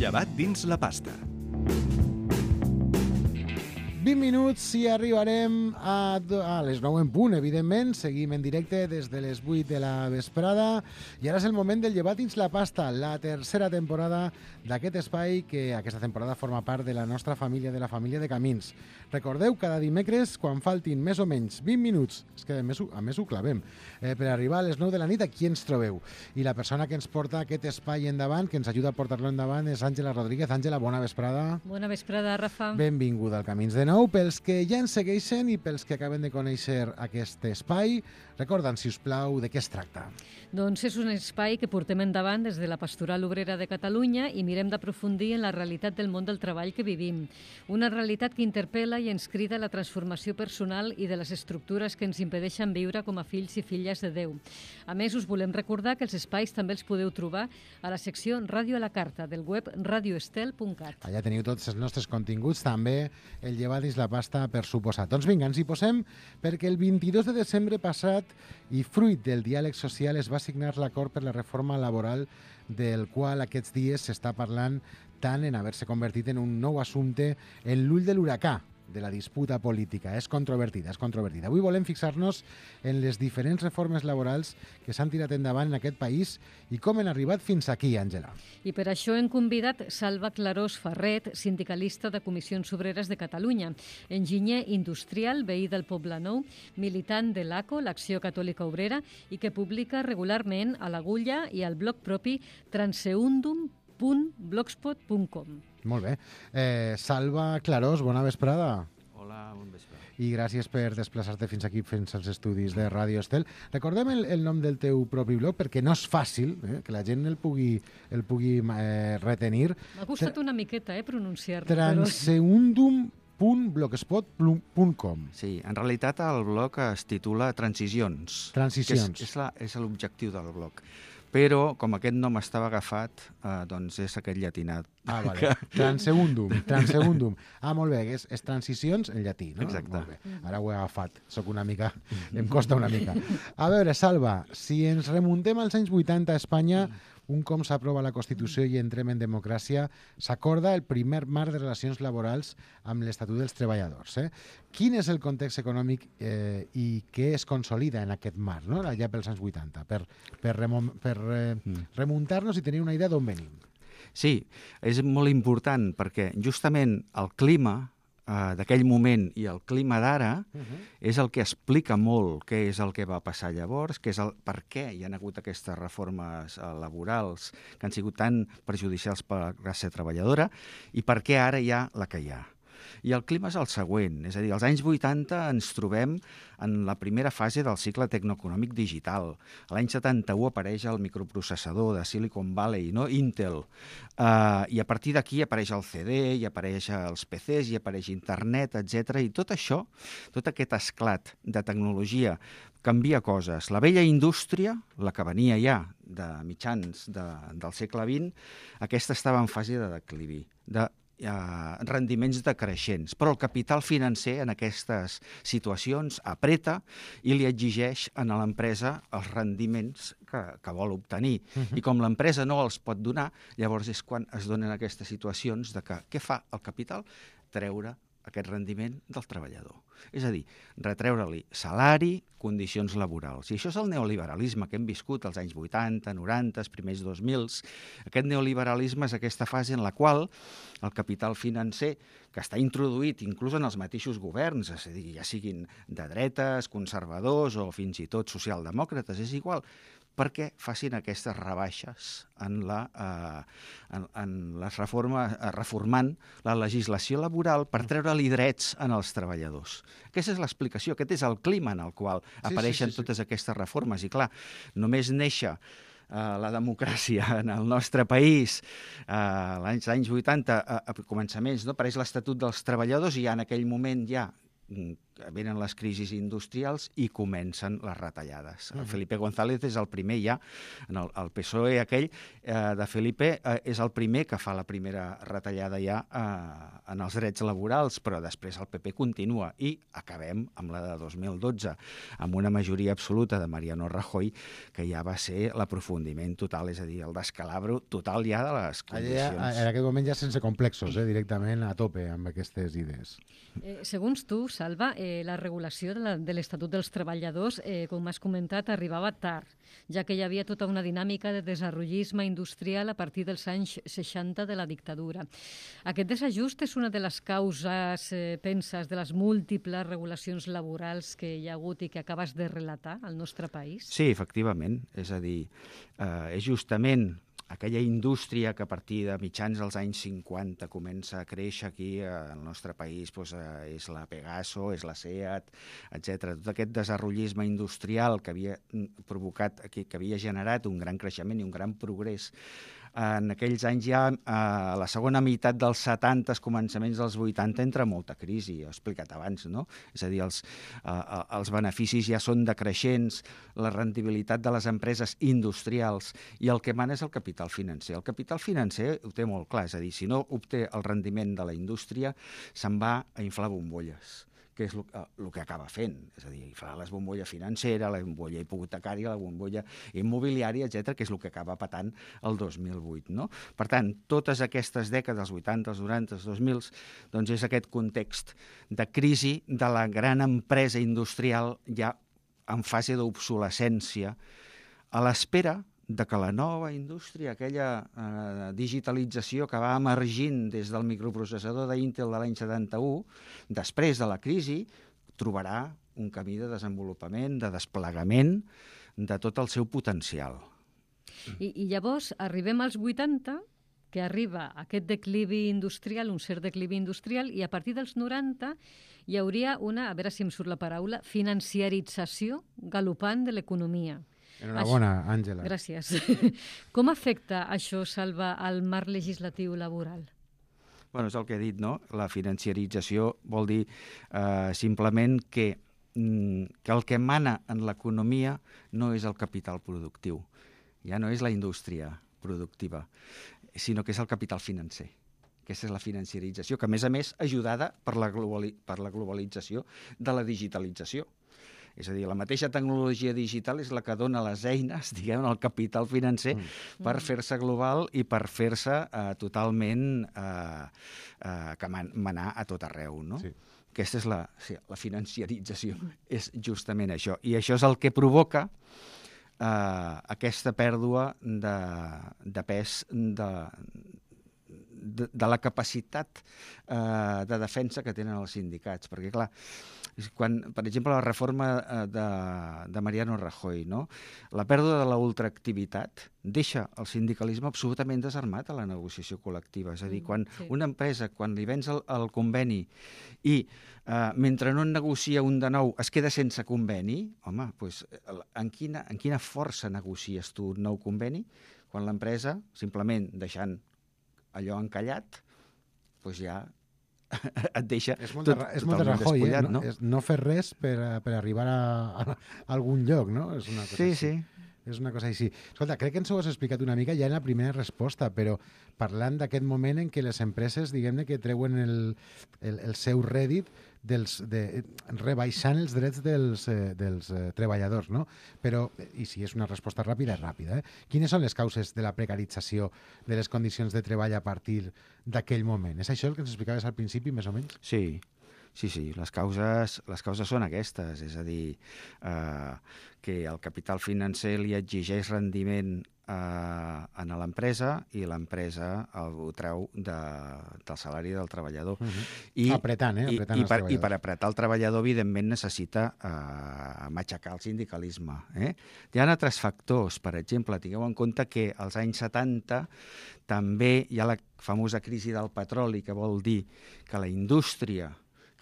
Llevat dins la pasta. 20 minuts i arribarem a les 9 en punt, evidentment. Seguim en directe des de les 8 de la vesprada. I ara és el moment del Llevat dins la pasta, la tercera temporada d'aquest espai que aquesta temporada forma part de la nostra família, de la família de Camins. Recordeu, cada dimecres, quan faltin més o menys 20 minuts, és que a més ho clavem, per arribar a les 9 de la nit, aquí ens trobeu. I la persona que ens porta aquest espai endavant, que ens ajuda a portar-lo endavant, és Àngela Rodríguez. Àngela, bona vesprada. Bona vesprada, Rafa. Benvinguda al Camins de Nou. Pels que ja ens segueixen i pels que acaben de conèixer aquest espai, recorda'ns, si us plau, de què es tracta. Doncs és un espai que portem endavant des de la Pastoral Obrera de Catalunya i mirem d'aprofundir en la realitat del món del treball que vivim. Una realitat que interpel·la i ens crida a la transformació personal i de les estructures que ens impedeixen viure com a fills i filles de Déu. A més, us volem recordar que els espais també els podeu trobar a la secció Ràdio a la Carta del web radioestel.cat. Allà teniu tots els nostres continguts, també el Llevat dins la pasta, per suposat. Doncs vinga, ens hi posem, perquè el 22 de desembre passat i fruit del diàleg social es va signar l'acord per la reforma laboral del qual aquests dies s'està parlant tant en haver-se convertit en un nou assumpte en l'ull de l'huracà de la disputa política. És controvertida, és controvertida. Avui volem fixar-nos en les diferents reformes laborals que s'han tirat endavant en aquest país i com han arribat fins aquí, Àngela. I per això hem convidat Salva Clarós Ferret, sindicalista de Comissions Obreres de Catalunya, enginyer industrial, veí del Poblenou, militant de l'ACO, l'Acció Catòlica Obrera, i que publica regularment a l'Agulla i al blog propi transeundum.blogspot.com. Molt bé. Salva Clarós, bona vesprada. Hola, bon vespre. I gràcies per desplaçar-te fins aquí, fins als estudis de Ràdio Estel. Recordem el nom del teu propi blog, perquè no és fàcil que la gent el pugui retenir. M'ha costat una miqueta pronunciar-lo. Transeundum.blogspot.com. Sí, en realitat el blog es titula Transicions. Transicions. Que és l'objectiu del blog. Però, com aquest nom estava agafat, doncs és aquest llatinat. Ah, vale. Transeundum. Ah, molt bé, és transicions en llatí, no? Exacte. Molt bé. Ara ho he agafat, em costa una mica. A veure, Salva, si ens remuntem als anys 80 a Espanya, un cop s'aprova la Constitució i entrem en democràcia, s'acorda el primer marc de relacions laborals amb l'Estatut dels Treballadors. Quin és el context econòmic i què es consolida en aquest marc, no? Allà pels anys 80, per remuntar-nos i tenir una idea d'on venim? Sí, és molt important perquè justament el clima d'aquell moment i el clima d'ara és el que explica molt què és el que va passar llavors, què és per què hi ha hagut aquestes reformes laborals que han sigut tan perjudicials per a la classe treballadora i per què ara hi ha la que hi ha. I el clima és el següent, és a dir, als anys 80 ens trobem en la primera fase del cicle tecnoeconòmic digital. A l'any 71 apareix el microprocessador de Silicon Valley, no? Intel, i a partir d'aquí apareix el CD, i apareix els PCs, i apareix internet, etc. I tot això, tot aquest esclat de tecnologia canvia coses. La vella indústria, la que venia ja de mitjans del segle XX, aquesta estava en fase de declivi, de rendiments decreixents, però el capital financer en aquestes situacions apreta i li exigeix a l'empresa els rendiments que vol obtenir. I com l'empresa no els pot donar, llavors és quan es donen aquestes situacions de que què fa el capital? Treure aquest rendiment del treballador. És a dir, retreure-li salari, condicions laborals. I això és el neoliberalisme que hem viscut als anys 80, 90, els primers 2000. Aquest neoliberalisme és aquesta fase en la qual el capital financer, que està introduït inclús en els mateixos governs, és a dir, ja siguin de dretes, conservadors o fins i tot socialdemòcrates, és igual, perquè facin aquestes rebaixes en les reformes, reformant la legislació laboral per treure-li drets als treballadors. Aquesta és l'explicació, aquest és el clima en el qual apareixen totes aquestes reformes. I clar, només néixer la democràcia en el nostre país als anys 80, a començaments, no? Apareix l'Estatut dels Treballadors i ja en aquell moment ja venen les crisis industrials i comencen les retallades. Felipe González és el primer ja, el PSOE aquell de Felipe és el primer que fa la primera retallada ja en els drets laborals, però després el PP continua i acabem amb la de 2012, amb una majoria absoluta de Mariano Rajoy, que ja va ser l'aprofundiment total, és a dir, el descalabro total ja de les condicions. En aquest moment ja sense complexos, directament a tope amb aquestes idees. Segons tu, Salva, la regulació de l'Estatut dels Treballadors, com has comentat, arribava tard, ja que hi havia tota una dinàmica de desenvolupisme industrial a partir dels anys 60 de la dictadura. Aquest desajust és una de les causes, penses, de les múltiples regulacions laborals que hi ha hagut i que acabes de relatar al nostre país? Sí, efectivament. És a dir, és justament aquella indústria que a partir de mitjans dels anys 50 comença a créixer aquí al nostre país, doncs, és la Pegaso, és la SEAT, etc. Tot aquest desenvolupisme industrial que havia provocat, que havia generat un gran creixement i un gran progrés en aquells anys ja, a la segona meitat dels 70, començaments dels 80, entra molta crisi, ho he explicat abans, no? És a dir, els beneficis ja són decreixents, la rendibilitat de les empreses industrials, i el que mana és el capital financer. El capital financer ho té molt clar, és a dir, si no obté el rendiment de la indústria, se'n va a inflar bombolles, que és el que acaba fent, és a dir, inflar la bombolla financera, la bombolla hipotecària, la bombolla immobiliària, etc., que és el que acaba patant el 2008. No? Per tant, totes aquestes dècades, els 80, els 90, els 2000, doncs és aquest context de crisi de la gran empresa industrial ja en fase d'obsolescència, a l'espera de que la nova indústria, aquella digitalització que va emergint des del microprocessador d'Intel de l'any 71, després de la crisi, trobarà un camí de desenvolupament, de desplegament de tot el seu potencial. I llavors arribem als 80, que arriba aquest declivi industrial, un cert declivi industrial, i a partir dels 90 hi hauria una, a veure si em surt la paraula, financiarització galopant de l'economia. Enhorabona, Àngela. Gràcies. Com afecta això, Salva, al marc legislatiu laboral? Bueno, és el que he dit, no? La financiarització vol dir simplement que el que mana en l'economia no és el capital productiu, ja no és la indústria productiva, sinó que és el capital financer. Aquesta és la financiarització, que a més ajudada per la globalització de la digitalització. És a dir, la mateixa tecnologia digital és la que dona les eines, diguem, al capital financer per fer-se global i per fer-se totalment manar a tot arreu, no? Sí. Aquesta és la financiarització, és justament això. I això és el que provoca aquesta pèrdua de pes de la capacitat de defensa que tenen els sindicats. Perquè, clar, quan, per exemple, la reforma de Mariano Rajoy, no? La pèrdua de la ultraactivitat deixa el sindicalisme absolutament desarmat a la negociació col·lectiva. És a dir, quan una empresa, quan li vens el conveni i mentre no en negocia un de nou es queda sense conveni, home, doncs, en quina força negocies tu un nou conveni? Quan l'empresa, simplement deixant allò encallat, doncs ja et deixa totalment despullat, no? No fer res per arribar a algun lloc, no? És una cosa així. Sí. És una cosa així. Escolta, crec que ens ho has explicat una mica ja en la primera resposta, però parlant d'aquest moment en què les empreses, diguem-ne, que treuen el seu rèdit rebaixant els drets dels treballadors, no? Però, i si és una resposta ràpida, és ràpida, quines són les causes de la precarització de les condicions de treball a partir d'aquell moment? És això el que ens explicaves al principi, més o menys? Sí. Les causes són aquestes, és a dir, que el capital financer li exigeix rendiment a l'empresa i l'empresa ho treu del salari del treballador. Apretant els treballadors. I per apretar el treballador, evidentment, necessita matxacar el sindicalisme. Hi ha altres factors, per exemple, tingueu en compte que als anys 70 també hi ha la famosa crisi del petroli, que vol dir que la indústria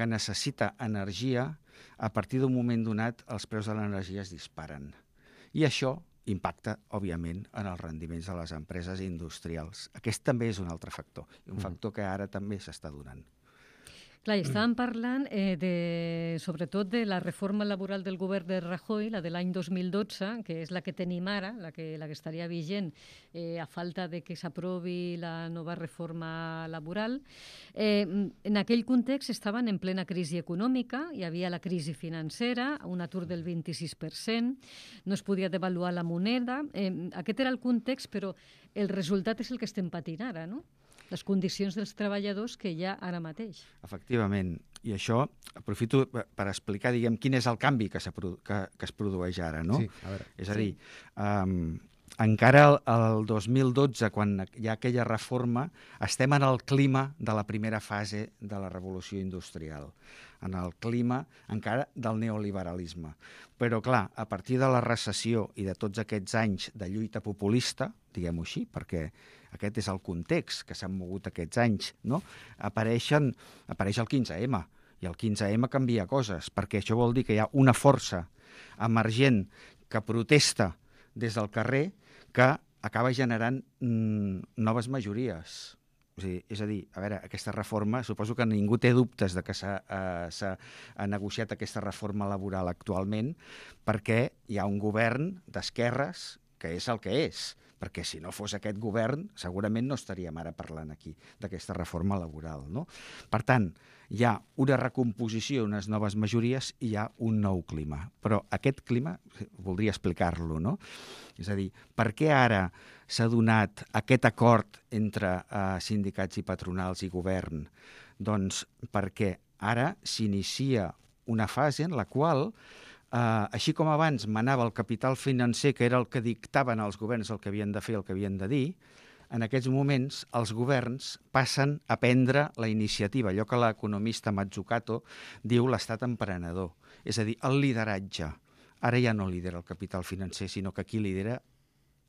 que necessita energia, a partir d'un moment donat els preus de l'energia es disparen. I això impacta, òbviament, en els rendiments de les empreses industrials. Aquest també és un altre factor, un factor que ara també s'està donant. Clar, i estàvem parlant sobretot de la reforma laboral del govern de Rajoy, la de l'any 2012, que és la que tenim ara, la que estaria vigent a falta de que s'aprovi la nova reforma laboral. En aquell context estaven en plena crisi econòmica, hi havia la crisi financera, un atur del 26%, no es podia devaluar la moneda. Aquest era el context, però el resultat és el que estem patint ara, no? Les condicions dels treballadors que hi ha ara mateix. Efectivament. I això aprofito per explicar, diguem, quin és el canvi que es produeix ara, no? Sí, a veure. És a dir, encara el 2012, quan hi ha aquella reforma, estem en el clima de la primera fase de la revolució industrial, en el clima encara del neoliberalisme. Però, clar, a partir de la recessió i de tots aquests anys de lluita populista, diguem-ho així, perquè aquest és el context que s'han mogut aquests anys, no? Apareix el 15M, i el 15M canvia coses, perquè això vol dir que hi ha una força emergent que protesta des del carrer que acaba generant noves majories. És a dir, a veure, aquesta reforma, suposo que ningú té dubtes de que s'ha negociat aquesta reforma laboral actualment perquè hi ha un govern d'esquerres que és el que és, perquè si no fos aquest govern segurament no estaríem ara parlant aquí d'aquesta reforma laboral, no? Per tant, hi ha una recomposició, unes noves majories i hi ha un nou clima. Però aquest clima, voldria explicar-lo, no? És a dir, per què ara s'ha donat aquest acord entre sindicats i patronals i govern? Doncs perquè ara s'inicia una fase en la qual així com abans manava el capital financer, que era el que dictaven els governs el que havien de fer, el que havien de dir, en aquests moments els governs passen a prendre la iniciativa, allò que l'economista Mazzucato diu l'estat emprenedor, és a dir, el lideratge. Ara ja no lidera el capital financer, sinó que qui lidera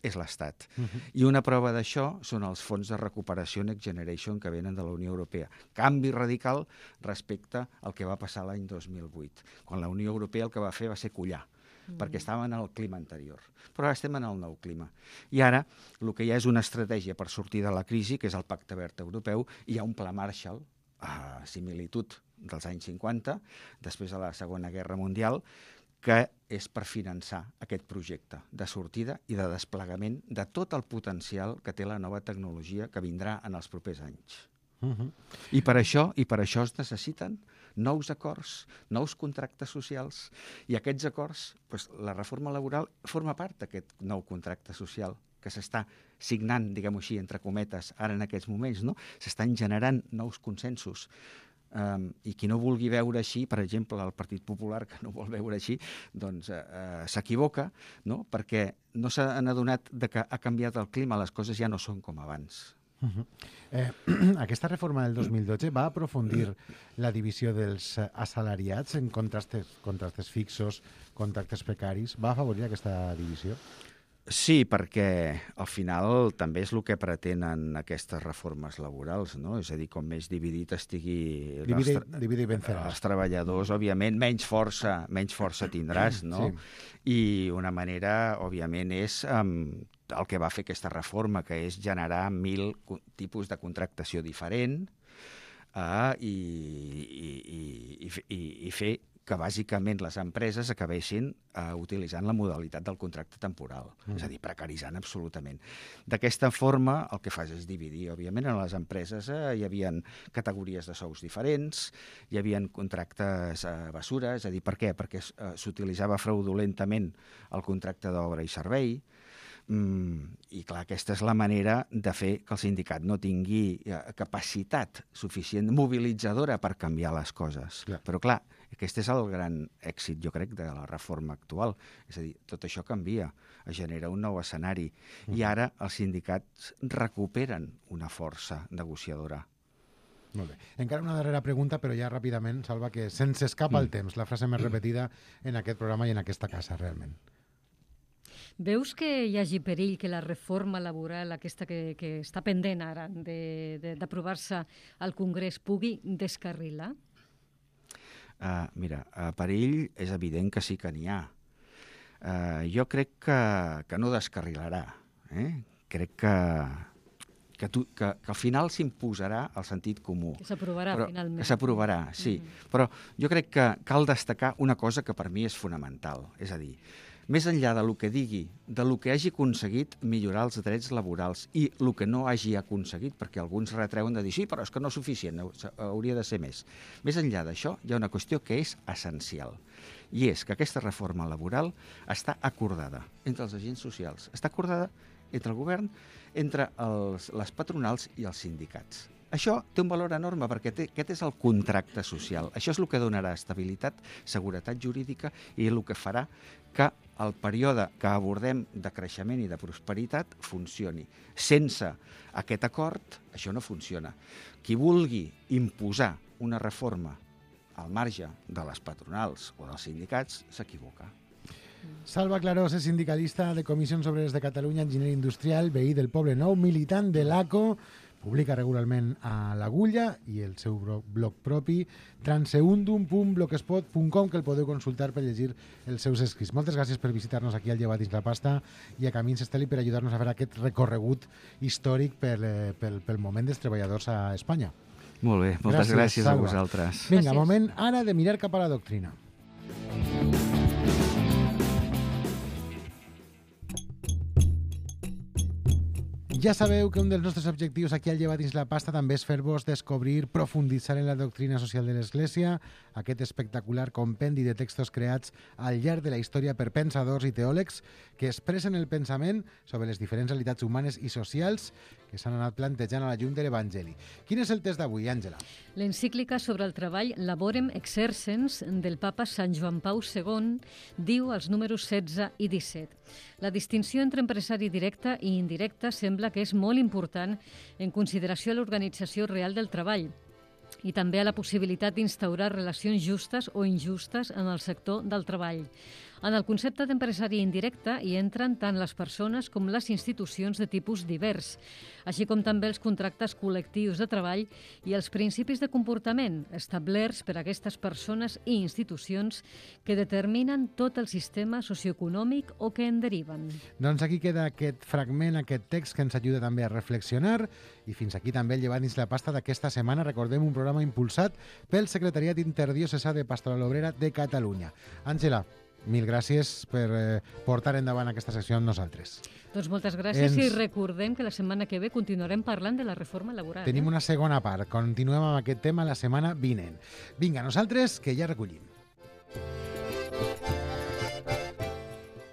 és l'Estat. I una prova d'això són els fons de recuperació Next Generation que venen de la Unió Europea. Canvi radical respecte al que va passar l'any 2008, quan la Unió Europea el que va fer va ser collar, perquè estàvem en el clima anterior. Però ara estem en el nou clima. I ara el que hi ha és una estratègia per sortir de la crisi, que és el Pacte Verd Europeu, i hi ha un pla Marshall, a similitud dels anys 50, després de la Segona Guerra Mundial, que és per finançar aquest projecte de sortida i de desplegament de tot el potencial que té la nova tecnologia que vindrà en els propers anys. I per això es necessiten nous acords, nous contractes socials, i aquests acords, doncs, la reforma laboral forma part d'aquest nou contracte social que s'està signant, diguem-ho així, entre cometes, ara en aquests moments, no? S'estan generant nous consensos. I qui no vulgui veure així, per exemple, el Partit Popular, que no vol veure així, doncs s'equivoca, no? Perquè no s'han adonat que ha canviat el clima, les coses ja no són com abans. Aquesta reforma del 2012 va aprofundir la divisió dels assalariats en contractes fixos, contractes precaris. Va afavorir aquesta divisió? Sí, perquè al final també és el que pretenen aquestes reformes laborals, no? És a dir, com més dividit estigui Divide i venceràs. els treballadors, òbviament, menys força tindràs, no? Sí. I una manera, òbviament, és el que va fer aquesta reforma, que és generar 1.000 tipus de contractació diferent i fer que bàsicament les empreses acabessin utilitzant la modalitat del contracte temporal, és a dir, precaritzant absolutament. D'aquesta forma, el que fas és dividir, òbviament, en les empreses hi havia categories de sous diferents, hi havia contractes basura, és a dir, per què? Perquè s'utilitzava fraudulentament el contracte d'obra i servei, i clar, aquesta és la manera de fer que el sindicat no tingui capacitat suficient mobilitzadora per canviar les coses. Clar. Però clar, aquest és el gran èxit, jo crec, de la reforma actual. És a dir, tot això canvia, es genera un nou escenari, i ara els sindicats recuperen una força negociadora. Molt bé. Encara una darrera pregunta, però ja ràpidament, Salva, que se'ns escapa el temps, la frase més repetida en aquest programa i en aquesta casa, realment. Veus que hi hagi perill que la reforma laboral, aquesta que està pendent ara d'aprovar-se al Congrés, pugui descarrilar? Mira, perill és evident que sí que n'hi ha. Jo crec que no descarrilarà. Crec que al final s'imposarà el sentit comú. Que s'aprovarà, finalment. Que s'aprovarà, sí. Però jo crec que cal destacar una cosa que per mi és fonamental. És a dir, més enllà del que digui, del que hagi aconseguit millorar els drets laborals i el que no hagi aconseguit, perquè alguns retreuen de dir sí, però és que no és suficient, hauria de ser més. Més enllà d'això, hi ha una qüestió que és essencial, i és que aquesta reforma laboral està acordada entre els agents socials, està acordada entre el govern, entre les patronals i els sindicats. Això té un valor enorme perquè aquest és el contracte social. Això és el que donarà estabilitat, seguretat jurídica i el que farà que el període que abordem de creixement i de prosperitat funcioni. Sense aquest acord, això no funciona. Qui vulgui imposar una reforma al marge de les patronals o dels sindicats s'equivoca. Salva Clarós és sindicalista de Comissions Obreres de Catalunya, enginyer industrial, veí del Poble Nou, militant de l'ACO, publica regularment a l'Agulla i el seu blog propi, transeundum.blogspot.com, que el podeu consultar per llegir els seus escrits. Moltes gràcies per visitar-nos aquí al Llevat dins la pasta i a Camins Estel i per ajudar-nos a fer aquest recorregut històric pel moment dels treballadors a Espanya. Molt bé, moltes gràcies a vosaltres. Vinga, moment ara de mirar cap a la doctrina. Ja sabeu que un dels nostres objectius aquí al Llevat dins la pasta també és fer-vos descobrir, profunditzar en la doctrina social de l'Església, aquest espectacular compendi de textos creats al llarg de la història per pensadors i teòlegs que expressen el pensament sobre les diferents realitats humanes i socials que s'han anat plantejant a la llum de l'Evangeli. Quin és el text d'avui, Àngela? L'encíclica sobre el treball Laborem Exercens del papa Sant Joan Pau II diu als números 16 i 17. La distinció entre empresari directe i indirecte sembla que és molt important en consideració a l'organització real del treball i també a la possibilitat d'instaurar relacions justes o injustes en el sector del treball. En el concepte d'empresari indirecte hi entren tant les persones com les institucions de tipus divers, així com també els contractes col·lectius de treball i els principis de comportament establerts per a aquestes persones i institucions que determinen tot el sistema socioeconòmic o que en deriven. Doncs aquí queda aquest fragment, aquest text que ens ajuda també a reflexionar i fins aquí també el Llevat dins la pasta d'aquesta setmana. Recordem un programa impulsat pel Secretariat Interdiocesà de Pastoral Obrera de Catalunya. Àngela, mil gràcies per portar endavant aquesta secció amb nosaltres. Doncs moltes gràcies i recordem que la setmana que ve continuarem parlant de la reforma laboral. Tenim una segona part. Continuem amb aquest tema la setmana vinent. Vinga, nosaltres que ja recollim.